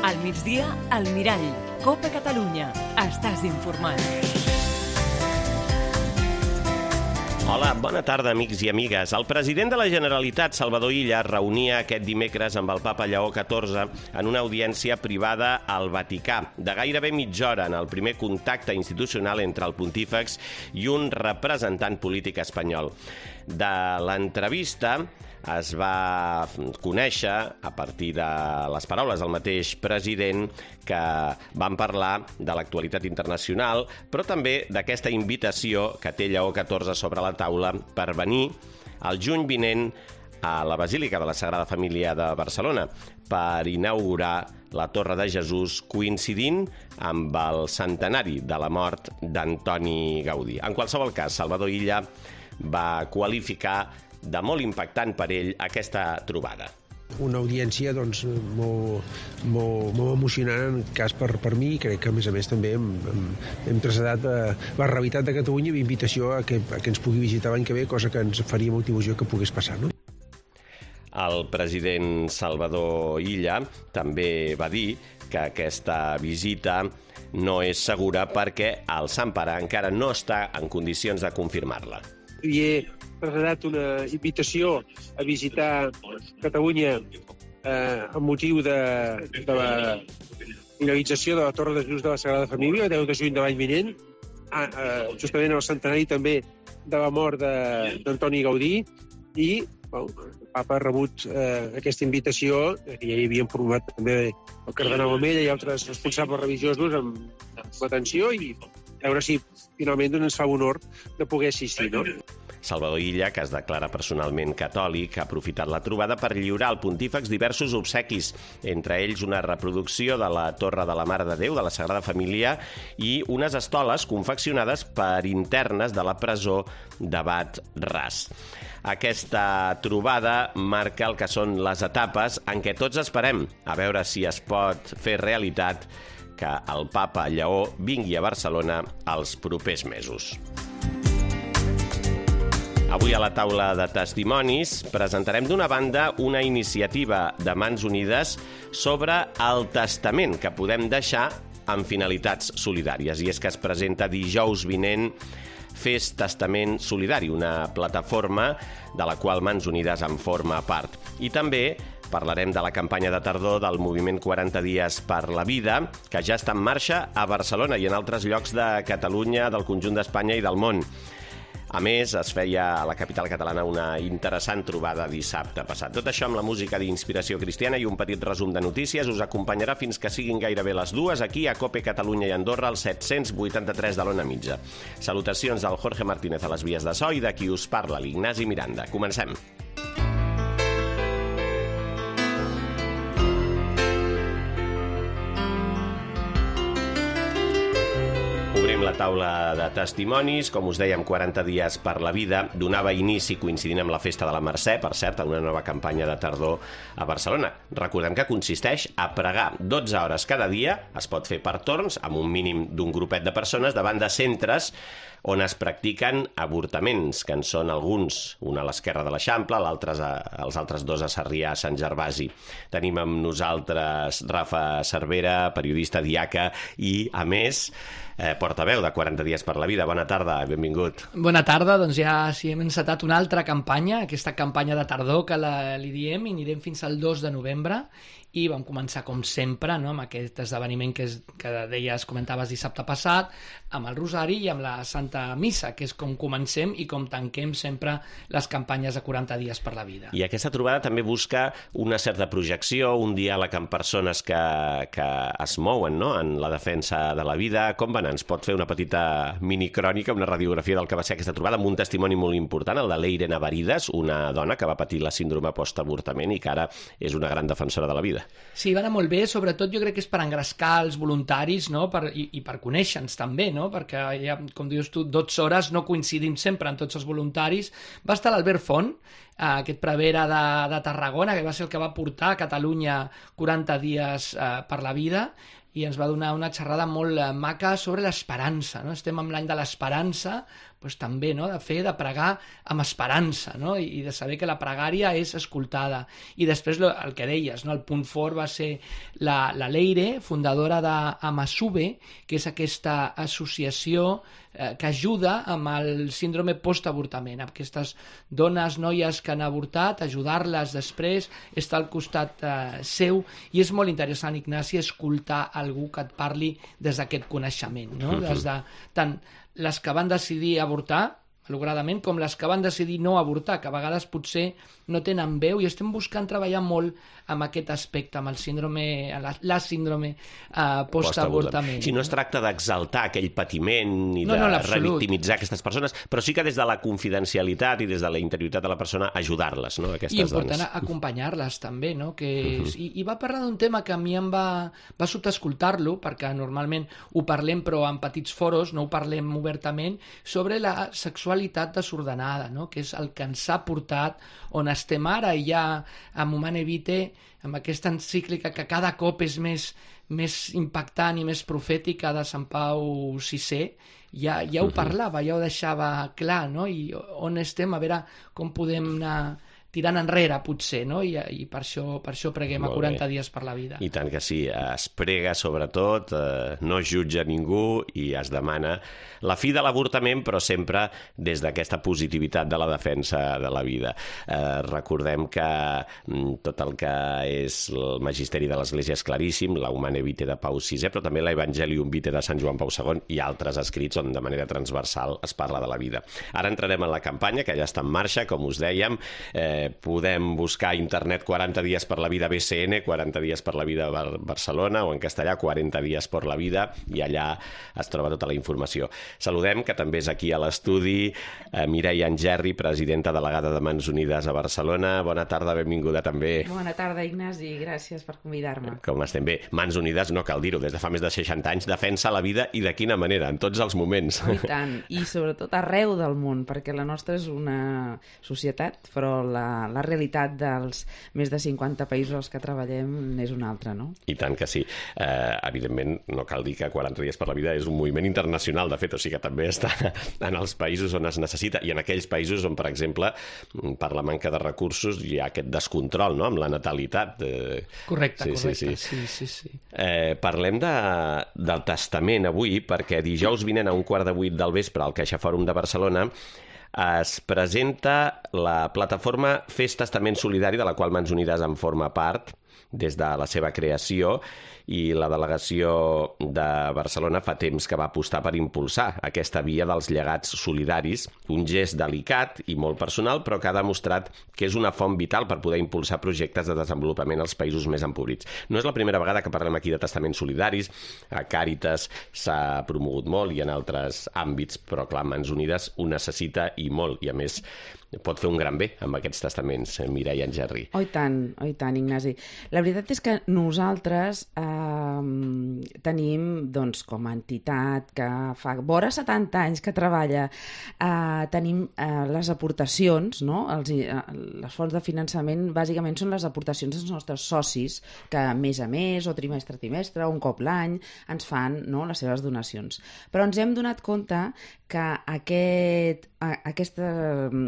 Al migdia, al Mirall. Copa Catalunya. Estàs informat. Hola, bona tarda, amics i amigues. El president de la Generalitat, Salvador Illa, es reunia aquest dimecres amb el papa Lleó XIV en una audiència privada al Vaticà, de gairebé mitja hora en el primer contacte institucional entre el pontífex i un representant polític espanyol. De l'entrevista es va conèixer, a partir de les paraules del mateix president, que van parlar de l'actualitat internacional, però també d'aquesta invitació que té Lleó XIV sobre la taula per venir el juny vinent a la Basílica de la Sagrada Família de Barcelona per inaugurar la Torre de Jesús, coincidint amb el centenari de la mort d'Antoni Gaudí. En qualsevol cas, Salvador Illa va qualificar de molt impactant per ell aquesta trobada. Una audiència doncs, molt emocionant en cas per mi, i crec que a més també hem traslladat la realitat de Catalunya i invitació a que ens pugui visitar l'any que ve, cosa que ens faria molta il·lusió que pogués passar, no? El president Salvador Illa també va dir que aquesta visita no és segura perquè el Sant Pare encara no està en condicions de confirmar-la. I he traslladat una invitació a visitar Catalunya amb motiu de la finalització de la Torre de Jesús de la Sagrada Família, el 10 de juny de l'any vinent, justament el centenari també de la mort d'Antoni Gaudí, i el papa ha rebut aquesta invitació, que ja hi havia informat també el cardenal Omella i altres responsables religiosos amb l'atenció, i a veure si finalment ens fa honor de poder assistir, no? Salvador Illa, que es declara personalment catòlic, ha aprofitat la trobada per lliurar al pontífex diversos obsequis, entre ells una reproducció de la Torre de la Mare de Déu de la Sagrada Família i unes estoles confeccionades per internes de la presó d'Abat Ras. Aquesta trobada marca el que són les etapes en què tots esperem a veure si es pot fer realitat que el papa Lleó vingui a Barcelona els propers mesos. Avui a la taula de testimonis presentarem d'una banda una iniciativa de Mans Unides sobre el testament que podem deixar amb finalitats solidàries. I és que es presenta dijous vinent Fes Testament Solidari, una plataforma de la qual Mans Unides en forma part. I també parlarem de la campanya de tardor del moviment 40 dies per la vida, que ja està en marxa a Barcelona i en altres llocs de Catalunya, del conjunt d'Espanya i del món. A més, es feia a la capital catalana una interessant trobada dissabte passat. Tot això amb la música d'Inspiració Cristiana i un petit resum de notícies us acompanyarà fins que siguin gairebé les 2 aquí a Cope Catalunya i Andorra, al 783 de l'Ona Mitja. Salutacions del Jorge Martínez a les vies de so i de qui us parla, l'Ignasi Miranda. Comencem. Obrim la taula de testimonis. Com us dèiem, 40 dies per la vida donava inici coincidint amb la Festa de la Mercè, per cert, en una nova campanya de tardor a Barcelona. Recordem que consisteix a pregar 12 hores cada dia, es pot fer per torns, amb un mínim d'un grupet de persones, davant de centres on es practiquen avortaments, que en són alguns, un a l'esquerra de l'Eixample, els altres dos a Sarrià, a Sant Gervasi. Tenim amb nosaltres Rafa Cervera, periodista, diaca i, a més, portaveu de 40 dies per la vida. Bona tarda, benvingut. Bona tarda, doncs ja sí, hem encetat una altra campanya, aquesta campanya de tardor que li diem, i anirem fins al 2 de novembre, i vam començar com sempre, no?, amb aquest esdeveniment que deies, comentaves dissabte passat, amb el Rosari i amb la Santa Missa, que és com comencem i com tanquem sempre les campanyes de 40 dies per la vida. I aquesta trobada també busca una certa projecció, un diàleg amb persones que es mouen, no?, en la defensa de la vida. Com va anar? Ens pot fer una petita minicrònica, una radiografia del que va ser aquesta trobada, amb un testimoni molt important, el de l'Eire Navarides, una dona que va patir la síndrome postavortament i que ara és una gran defensora de la vida. Sí, va anar molt bé, sobretot jo crec que és per engrescar els voluntaris, no?, i per conèixer-nos també, no?, perquè ja, com dius tu, 12 hores no coincidim sempre en tots els voluntaris. Va estar l'Albert Font, aquest prevere de Tarragona, que va ser el que va portar a Catalunya 40 dies per la vida, i ens va donar una xerrada molt maca sobre l'esperança, no? Estem en l'any de l'esperança, doncs també, no? De pregar amb esperança, no? I de saber que la pregària és escoltada. I després el que deies, no? El punt fort va ser la Leire, fundadora d'Amasube, que és aquesta associació que ajuda amb el síndrome postavortament, amb aquestes dones, noies que han avortat, ajudar-les després, estar al costat seu, i és molt interessant, Ignasi, escoltar algú que et parli des d'aquest coneixement, no? Des de tant les que van decidir avortar, malauradament, com les que van decidir no avortar, que a vegades potser no tenen veu, i estem buscant treballar molt amb aquest aspecte, amb el síndrome, la síndrome postavortament. Si no es tracta d'exaltar aquell patiment i de revictimitzar aquestes persones, però sí que des de la confidencialitat i des de la interioritat de la persona ajudar-les, no? Aquestes dones. I important acompanyar-les també, no? I va parlar d'un tema que a mi em va sobtar escoltar-lo, perquè normalment ho parlem però en petits foros, no ho parlem obertament, sobre la sexualitat desordenada, no? Que és el que ens ha portat on estem ara, i ja amb Humane Vitae, amb aquesta encíclica que cada cop és més impactant i més profètica de Sant Pau VI, ja ho parlava, ja ho deixava clar, no? I on estem, a veure com podem anar tirant enrere, potser, no? I per això preguem a 40 dies per la vida. I tant que sí, es prega sobretot, no es jutja ningú i es demana la fi de l'avortament, però sempre des d'aquesta positivitat de la defensa de la vida. Recordem que tot el que és el magisteri de l'Església és claríssim, la Humane Vitae de Pau VI, però també l'Evangelium Vitae de Sant Joan Pau II i altres escrits on de manera transversal es parla de la vida. Ara entrarem en la campanya, que ja està en marxa, com us dèiem. Podem buscar a internet 40 dies per la vida BCN, 40 dies per la vida Barcelona, o en castellà 40 dies per la vida, i allà es troba tota la informació. Saludem, que també és aquí a l'estudi, Mireia Angerri, presidenta delegada de Mans Unides a Barcelona. Bona tarda, benvinguda també. Bona tarda, Ignasi, gràcies per convidar-me. Com estem bé? Mans Unides, no cal dir-ho, des de fa més de 60 anys defensa la vida, i de quina manera, en tots els moments. I tant, i sobretot arreu del món, perquè la nostra és una societat, però la realitat dels més de 50 països als que treballem és una altra, no? I tant que sí. Evidentment, no cal dir que 40 dies per la vida és un moviment internacional, de fet, o sigui que també està en els països on es necessita, i en aquells països on, per exemple, per la manca de recursos hi ha aquest descontrol, no?, amb la natalitat. Correcte. Sí. Parlem del testament avui, perquè dijous vinent a 7:15 del vespre al Caixa Fòrum de Barcelona es presenta la plataforma Fes Testament Solidari, de la qual Mans Unides en forma part des de la seva creació, i la delegació de Barcelona fa temps que va apostar per impulsar aquesta via dels llegats solidaris, un gest delicat i molt personal, però que ha demostrat que és una font vital per poder impulsar projectes de desenvolupament als països més empobrits. No és la primera vegada que parlem aquí de testaments solidaris, a Càritas s'ha promogut molt i en altres àmbits, però clar, Mans Unides ho necessita i molt, i a més pot fer un gran bé amb aquests testaments, Mireia Angerri. Oh, i tant, Ignasi. La veritat és que nosaltres tenim, doncs, com a entitat que fa vora 70 anys que treballa, tenim les aportacions, no? Les fonts de finançament bàsicament són les aportacions dels nostres socis, que mes a mes o trimestre a trimestre, un cop l'any, ens fan, no, les seves donacions. Però ens hem donat compte que aquestes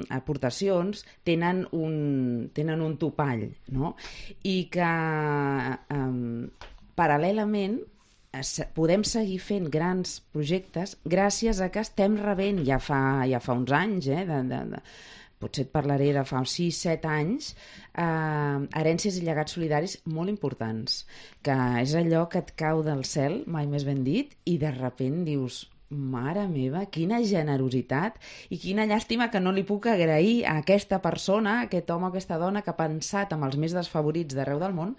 aportacions tenen un topall, no? I que paral·lelament podem seguir fent grans projectes gràcies a que estem rebent ja fa uns anys, potser et parlaré de fa 6-7 anys, herències i llegats solidaris molt importants, que és allò que et cau del cel, mai més ben dit, i de sobte dius: mare meva, quina generositat i quina llàstima que no li puc agrair a aquesta persona, a aquest home o aquesta dona que ha pensat en els més desfavorits d'arreu del món,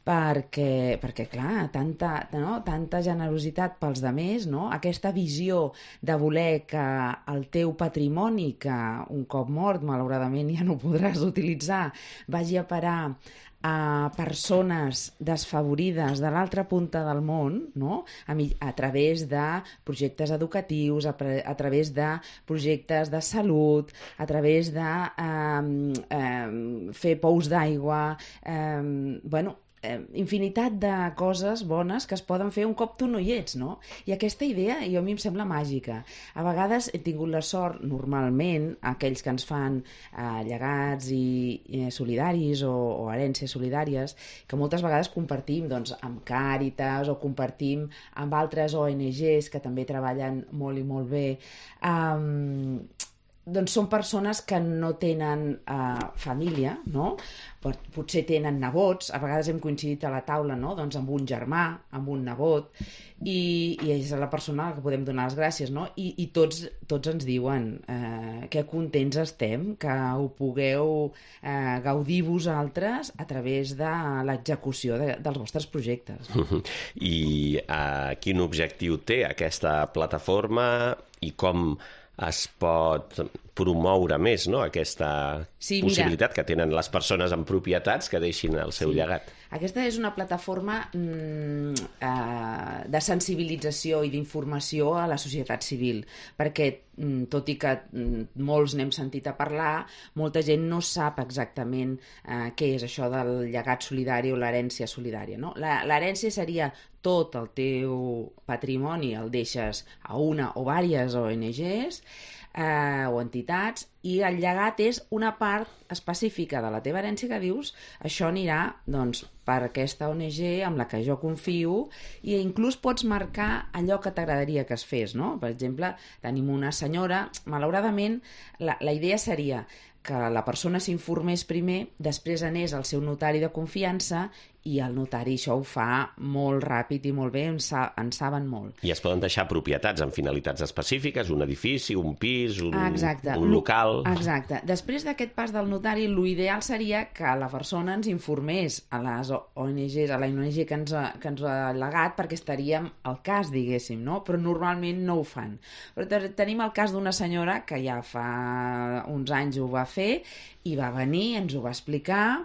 perquè clar, tanta generositat pels demés, no? Aquesta visió de voler que el teu patrimoni, que un cop mort malauradament ja no podràs utilitzar, vagi a parar a persones desfavorides de l'altra punta del món, no? A través de projectes educatius, a través de projectes de salut, a través de fer pous d'aigua, infinitat de coses bones que es poden fer un cop tu no hi ets, no? I aquesta idea a mi em sembla màgica. A vegades he tingut la sort, normalment, aquells que ens fan llegats i solidaris o herències solidàries, que moltes vegades compartim doncs, amb Càritas o compartim amb altres ONGs que també treballen molt i molt bé, doncs són persones que no tenen família, no? Potser tenen nebots, a vegades hem coincidit a la taula, no? Doncs amb un germà, amb un nebot, i és la persona a la que podem donar les gràcies, no? I tots ens diuen que contents estem, que ho pugueu gaudir vosaltres a través de l'execució dels vostres projectes. I quin objectiu té aquesta plataforma i com es pot promoure més, no?, aquesta possibilitat que tenen les persones amb propietats que deixin el seu llegat. Aquesta és una plataforma de sensibilització i d'informació a la societat civil, perquè tot i que molts n'hem sentit a parlar, molta gent no sap exactament què és això del llegat solidari o l'herència solidària, no? L'herència seria tot el teu patrimoni, el deixes a una o diverses ONGs o entitats, i el llegat és una part específica de la teva herència que dius, això anirà doncs, per aquesta ONG amb la que jo confio, i inclús pots marcar allò que t'agradaria que es fes, no? Per exemple, tenim una senyora, malauradament la idea seria que la persona s'informés primer, després anés al seu notari de confiança, i el notari això ho fa molt ràpid i molt bé, en saben molt. I es poden deixar propietats amb finalitats específiques, un edifici, un pis, un local... Exacte. Després d'aquest pas del notari, l'ideal seria que la persona ens informés a les ONGs, a la ONG que ens ha legat, perquè estaríem al cas, diguéssim, no? Però normalment no ho fan. Però tenim el cas d'una senyora que ja fa uns anys ho va fer i va venir, ens ho va explicar,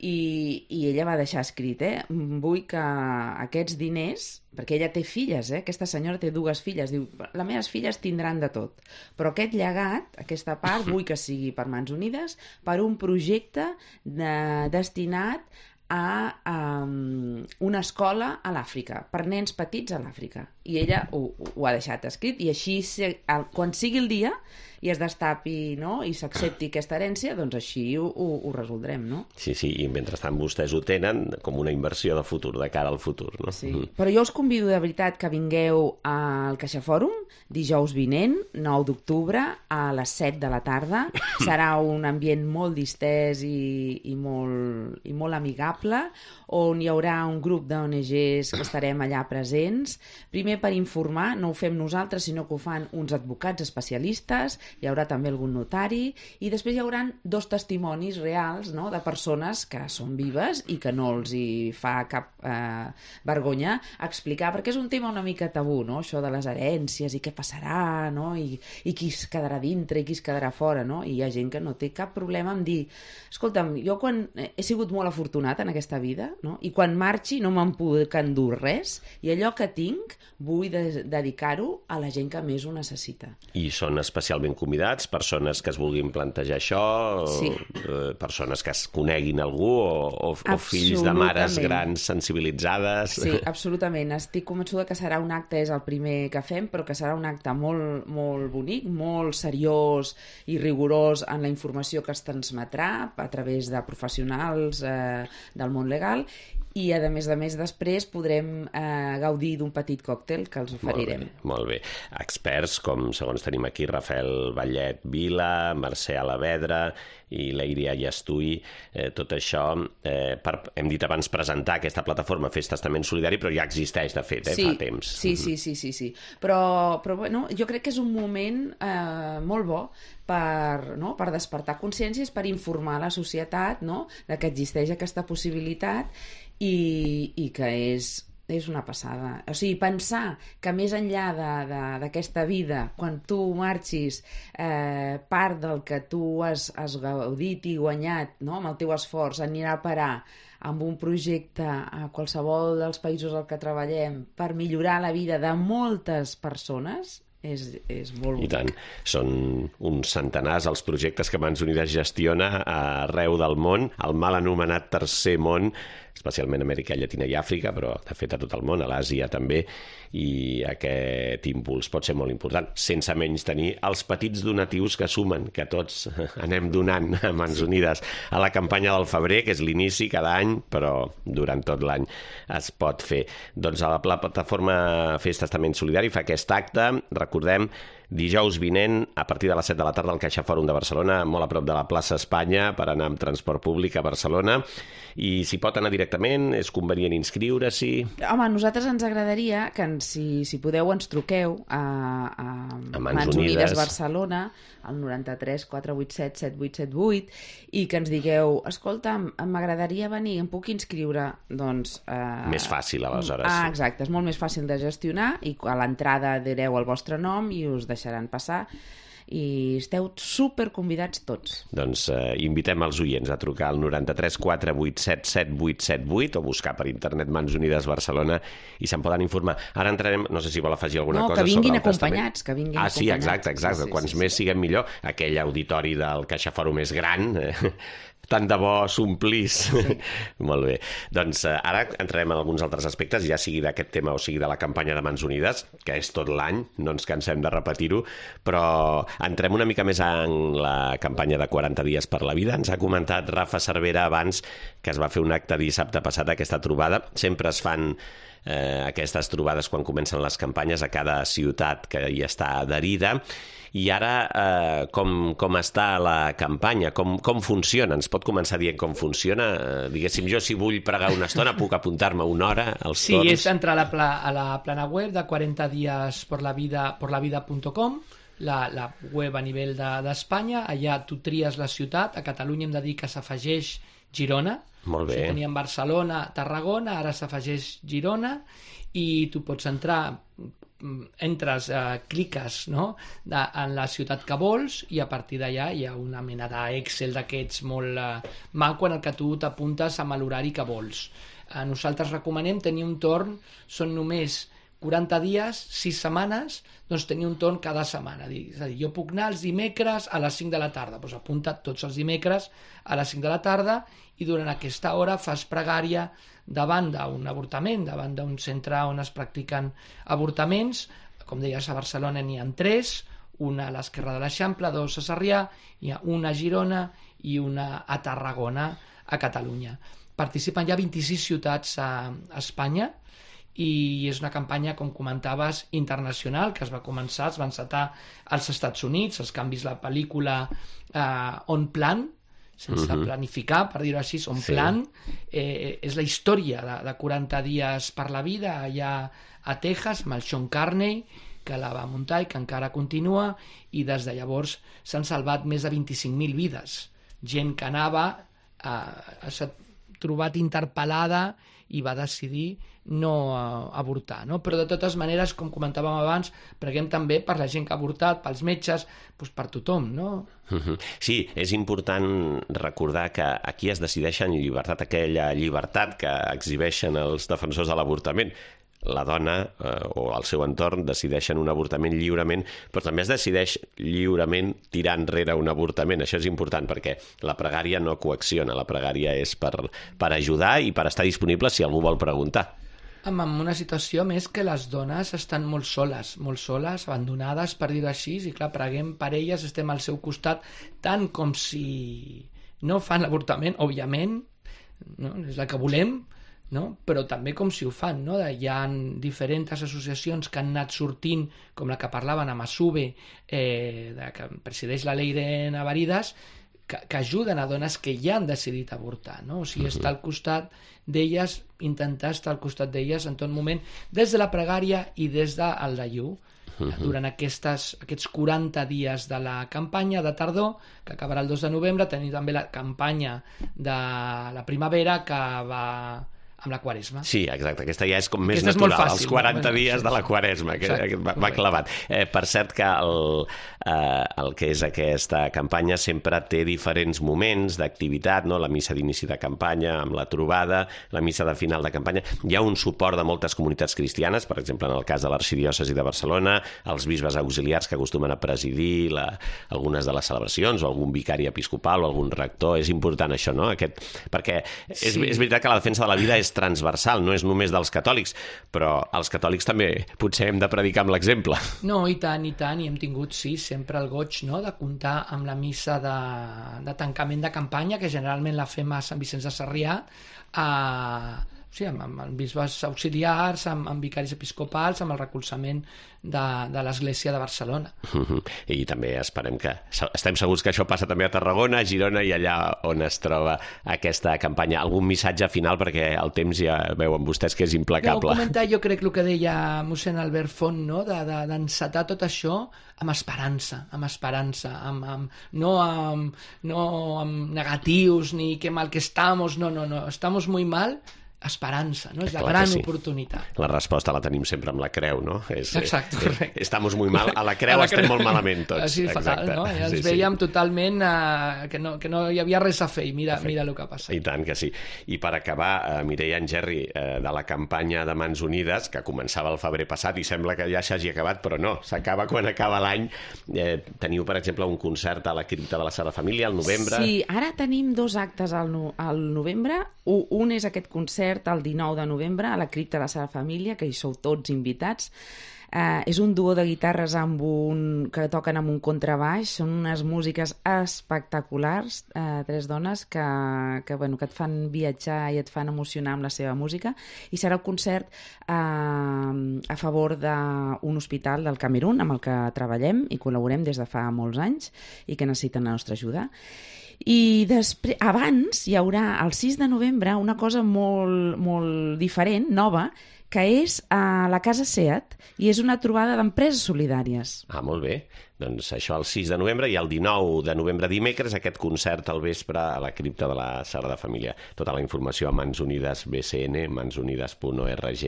i ella va deixar escrit, vull que aquests diners, perquè ella té filles, aquesta senyora té 2 filles, diu, les meves filles tindran de tot, però aquest llegat, aquesta part, vull que sigui per Mans Unides, per un projecte destinat a una escola a l'Àfrica, per nens petits a l'Àfrica. I ella ho ha deixat escrit, i així, quan sigui el dia, i es destapi, no?, i s'accepti aquesta herència, doncs així ho resoldrem, no? Sí, i mentrestant vostès ho tenen com una inversió de futur, de cara al futur, no? Sí, però jo us convido de veritat que vingueu al CaixaFòrum dijous vinent, 9 d'octubre, a les 7 de la tarda. Serà un ambient molt distès i molt amigable, on hi haurà un grup d'ONGs que estarem allà presents, primer per informar, no ho fem nosaltres, sinó que ho fan uns advocats especialistes, hi haurà també algun notari, i després hi haurà 2 testimonis reals, no?, de persones que són vives i que no els hi fa cap vergonya explicar, perquè és un tema una mica tabú, no?, això de les herències i què passarà, no?, i qui es quedarà dintre i qui es quedarà fora, no?, i hi ha gent que no té cap problema en dir, escolta'm, jo quan he sigut molt afortunat en aquesta vida, no?, i quan marxi no me'n puc endur res, i allò que tinc vull dedicar-ho a la gent que més ho necessita. I són especialment convidats, persones que es vulguin plantejar això, persones que es coneguin algú o fills de mares grans sensibilitzades. Sí, absolutament. Estic convençuda que serà un acte, és el primer que fem, però que serà un acte molt, molt bonic, molt seriós i rigorós en la informació que es transmetrà a través de professionals del món legal, i a més després podrem gaudir d'un petit còctel que els oferirem. Molt bé. Experts com, segons tenim aquí, Rafael Vallet Vila, Mercè Alavedra i la Iria Llastui, tot això, hem dit abans presentar aquesta plataforma Fes Testament Solidari, però ja existeix, de fet, fa temps. Sí. Però bueno, jo crec que és un moment molt bo per despertar consciències, per informar la societat, no?, de que existeix aquesta possibilitat i que és una passada. O sigui, pensar que més enllà d'aquesta vida, quan tu marxis, part del que tu has gaudit i guanyat, no?, amb el teu esforç, anirà a parar amb un projecte a qualsevol dels països al que treballem per millorar la vida de moltes persones, és molt bonic. I tant. Són uns centenars els projectes que Mans Unides gestiona arreu del món, el mal anomenat Tercer Món, especialment a Amèrica Llatina i Àfrica, però de fet a tot el món, a l'Àsia també, i aquest impuls pot ser molt important, sense menys tenir els petits donatius que sumen, que tots anem donant a Mans Unides a la campanya del febrer, que és l'inici cada any, però durant tot l'any es pot fer. Doncs a la plataforma Fes Testament Solidari fa aquest acte, recordem, dijous vinent, a partir de les 7 de la tarda al Caixa Fòrum de Barcelona, molt a prop de la plaça Espanya, per anar amb transport públic a Barcelona. I si pot anar directament, és convenient inscriure-s'hi. Home, a nosaltres ens agradaria que, si podeu, ens truqueu a Mans Unides Barcelona, al 93 487 7878, i que ens digueu, escolta, m'agradaria venir, em puc inscriure? Doncs... Més fàcil, aleshores. Exacte, és molt més fàcil de gestionar, i a l'entrada direu el vostre nom i us deixaran passar, i esteu super convidats tots. Doncs invitem els oients a trucar al 93 487 7878 o buscar per internet Mans Unides Barcelona i se'n poden informar. Ara entrarem, no sé si vol afegir alguna cosa sobre el testament. No, que vinguin acompanyats, que vinguin acompanyats. Sí, exacte. Quants més siguem millor. Aquell auditori del Caixa Fòrum és gran, tant de bo s'omplís. Sí. Molt bé. Doncs ara entrarem en alguns altres aspectes, ja sigui d'aquest tema o sigui de la campanya de Mans Unides, que és tot l'any, no ens cansem de repetir-ho, però entrem una mica més en la campanya de 40 dies per la vida. Ens ha comentat Rafa Cervera abans que es va fer un acte dissabte passat, aquesta trobada. Sempre es fan aquestes trobades quan comencen les campanyes a cada ciutat que hi està adherida. I ara, com està la campanya? Com funciona? Ens pot començar dient com funciona? Diguéssim, jo si vull pregar una estona puc apuntar-me una hora als torns? Sí, és entrar a la plana web de 40diasporlavida.com, la web a nivell d'Espanya. Allà tu tries la ciutat. A Catalunya hem de dir que s'afegeix Girona. Molt bé. Teníem Barcelona, Tarragona, ara s'afegeix Girona, i tu pots entrar, entres, cliques, no?, en la ciutat que vols, i a partir d'allà hi ha una mena d'Excel d'aquests molt maco en el que tu t'apuntes amb l'horari que vols. Nosaltres recomanem tenir un torn, són només 40 dies, 6 setmanes, doncs tenir un torn cada setmana. És a dir, jo puc anar els dimecres a les 5 de la tarda, doncs apunta't tots els dimecres a les 5 de la tarda, i durant aquesta hora fas pregària davant d'un avortament, davant d'un centre on es practiquen avortaments. Com deies, a Barcelona n'hi ha 3, una a l'Esquerra de l'Eixample, 2 a Sarrià, hi ha una a Girona i una a Tarragona, a Catalunya. Participen ja 26 ciutats a Espanya, i és una campanya, com comentaves, internacional, que es va començar, es va encetar als Estats Units, els canvis la pel·lícula On Plan, sense planificar, per dir-ho així, On Plan, és la història de 40 dies per la vida allà a Texas, amb el Sean Carney, que la va muntar i que encara continua, i des de llavors s'han salvat més de 25.000 vides. Gent que anava, s'ha trobat interpel·lada i va decidir no avortar, no? Però de totes maneres, com comentàvem abans, preguem també per la gent que ha avortat, pels metges, doncs per tothom, no? Sí, és important recordar que aquí es decideix en llibertat, aquella llibertat que exhibeixen els defensors de l'avortament. La dona o el seu entorn decideixen un avortament lliurement, però també es decideix lliurement tirar enrere un avortament. Això és important perquè la pregària no coacciona, la pregària és per ajudar i per estar disponible si algú vol preguntar. En una situació més que les dones estan molt soles, abandonades, per dir-ho així, i clar, preguem per elles, estem al seu costat, tant com si no fan l'avortament, òbviament, no? És el que volem, no? Però també com si ho fan, no? Hi ha diferents associacions que han anat sortint, com la que parlaven amb Asube, que presideix la Leire Navaridas, que ajuden a dones que ja han decidit avortar, no? O sigui, estar al costat d'elles, intentar estar al costat d'elles en tot moment, des de la pregària i des del dejú. Durant aquests 40 dies de la campanya de tardor, que acabarà el 2 de novembre, tenim també la campanya de la primavera, que va amb la Quaresma. Sí, exacte, aquesta ja és com més Aquesta és natural, molt fàcil, els 40 no? dies de la Quaresma, que Exacte, va clavat. Per cert que el que és aquesta campanya sempre té diferents moments d'activitat, no? La missa d'inici de campanya, amb la trobada, la missa de final de campanya. Hi ha un suport de moltes comunitats cristianes, per exemple, en el cas de l'Arxidiòcesi de Barcelona, els bisbes auxiliars que acostumen a presidir algunes de les celebracions, o algun vicari episcopal o algun rector. És important això, no? Perquè és veritat que la defensa de la vida és transversal, no és només dels catòlics, però els catòlics també potser hem de predicar amb l'exemple. No, i tant, i hem tingut, sí, sempre el goig, no?, de comptar amb la missa de tancament de campanya, que generalment la fem a Sant Vicenç de Sarrià, amb bisbes auxiliars, amb vicaris episcopals, amb el recolzament de l'Església de Barcelona. I també estem segurs que això passa també a Tarragona, a Girona i allà on es troba aquesta campanya. Algun missatge final, perquè el temps ja veuen vostès que és implacable. Comentar, jo crec el que deia mossèn Albert Font, no?, d'encetar tot això amb esperança, no amb negatius ni que mal que estamos, no, estamos muy mal, esperança, no? És la gran oportunitat. La resposta la tenim sempre amb la creu, no? Exacte, correcte. Estamos muy mal, a la creu estem molt malament tots. Així fatal, no? Ja ens veiem totalment que no hi havia res a fer i mira el que ha passat. I tant que sí. I per acabar, Mireia Engerri, de la campanya de Mans Unides, que començava el febrer passat i sembla que ja s'hagi acabat, però no, s'acaba quan acaba l'any. Teniu, per exemple, un concert a la Cripta de la Sagrada Família al novembre. Sí, ara tenim 2 actes al novembre. Un és aquest concert el 19 de novembre a la Cripta de la Sagrada Família, que hi sou tots invitats. És un duo de guitarres que toquen amb un contrabaix. Són unes músiques espectaculars, 3 dones que et fan viatjar i et fan emocionar amb la seva música. I serà un concert a favor d'un hospital del Camerun amb el que treballem i col·laborem des de fa molts anys i que necessiten la nostra ajuda. I després, abans hi haurà el 6 de novembre una cosa molt, molt diferent, nova, que és a la Casa SEAT, i és una trobada d'empreses solidàries. Molt bé. Doncs això el 6 de novembre i el 19 de novembre dimecres aquest concert al vespre a la Cripta de la Sagrada Família. Tota la informació a Mans Unides BCN, mansunides.org.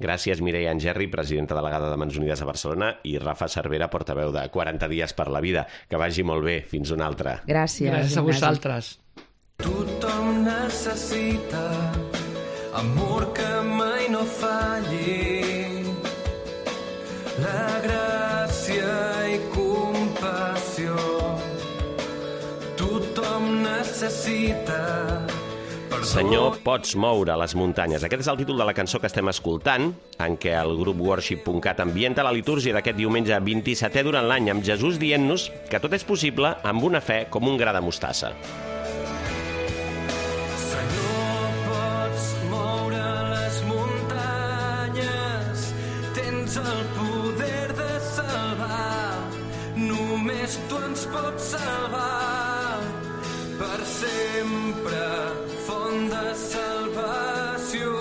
Gràcies, Mireia Engerri, presidenta delegada de Mans Unides a Barcelona, i Rafa Cervera, portaveu de 40 dies per la vida. Que vagi molt bé. Fins una altra. Gràcies. Gràcies a vosaltres. Tothom necessita amor que mai no falli, la gràcia i compassió. Tothom necessita... Senyor, pots moure les muntanyes. Aquest és el títol de la cançó que estem escoltant, en què el grup Worship.cat ambienta la litúrgia d'aquest diumenge 27è durant l'any, amb Jesús dient-nos que tot és possible amb una fe com un gra de mostassa. El poder de salvar, només tu ens pots salvar, per sempre, font de salvació.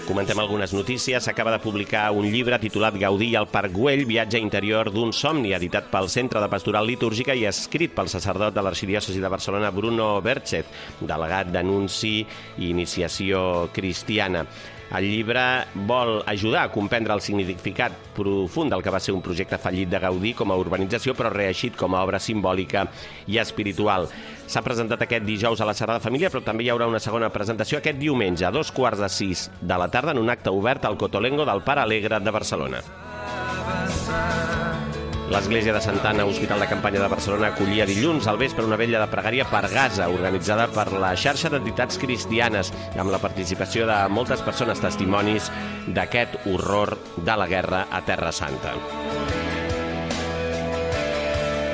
Comentem algunes notícies. S'acaba de publicar un llibre titulat Gaudí al Parc Güell, viatge interior d'un somni, editat pel Centre de Pastoral Litúrgica i escrit pel sacerdot de l'Arxidiòcesi de Barcelona, Bruno Berchez, delegat d'Anunci i Iniciació Cristiana. El llibre vol ajudar a comprendre el significat profund del que va ser un projecte fallit de Gaudí com a urbanització, però reeixit com a obra simbòlica i espiritual. S'ha presentat aquest dijous a la Sagrada Família, però també hi haurà una segona presentació aquest diumenge a 5:45 de la tarda en un acte obert al Cotolengo del Pare Alegre de Barcelona. L'Església de Santa Anna, Hospital de Campanya de Barcelona, acollia dilluns al vespre una vetlla de pregària per Gaza, organitzada per la xarxa d'entitats cristianes, amb la participació de moltes persones testimonis d'aquest horror de la guerra a Terra Santa.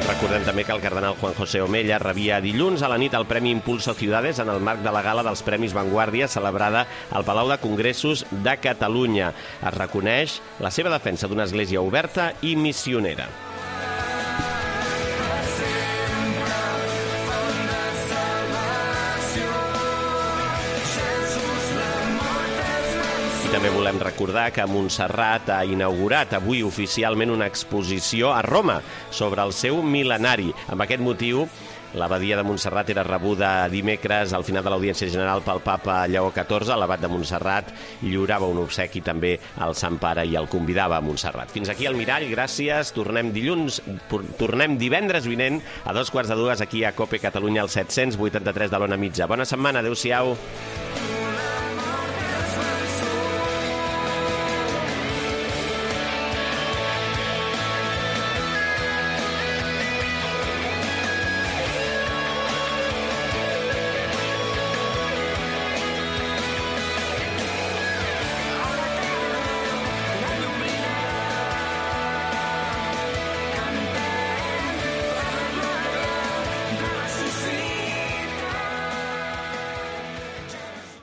Recordem també que el cardenal Juan José Omella rebia dilluns a la nit el Premi Impulso Ciudades en el marc de la gala dels Premis Vanguardia celebrada al Palau de Congressos de Catalunya. Es reconeix la seva defensa d'una església oberta i missionera. També volem recordar que Montserrat ha inaugurat avui oficialment una exposició a Roma sobre el seu mil·lenari. Amb aquest motiu L'abadia de Montserrat era rebuda dimecres al final de l'Audiència General pel papa Lleó XIV. L'abat de Montserrat lliurava un obsequi també al Sant Pare i el convidava a Montserrat. Fins aquí el Mirall, gràcies. Tornem divendres vinent a 2:45 aquí a COPE Catalunya al 783 de l'Ona Mitja. Bona setmana, adeu-siau.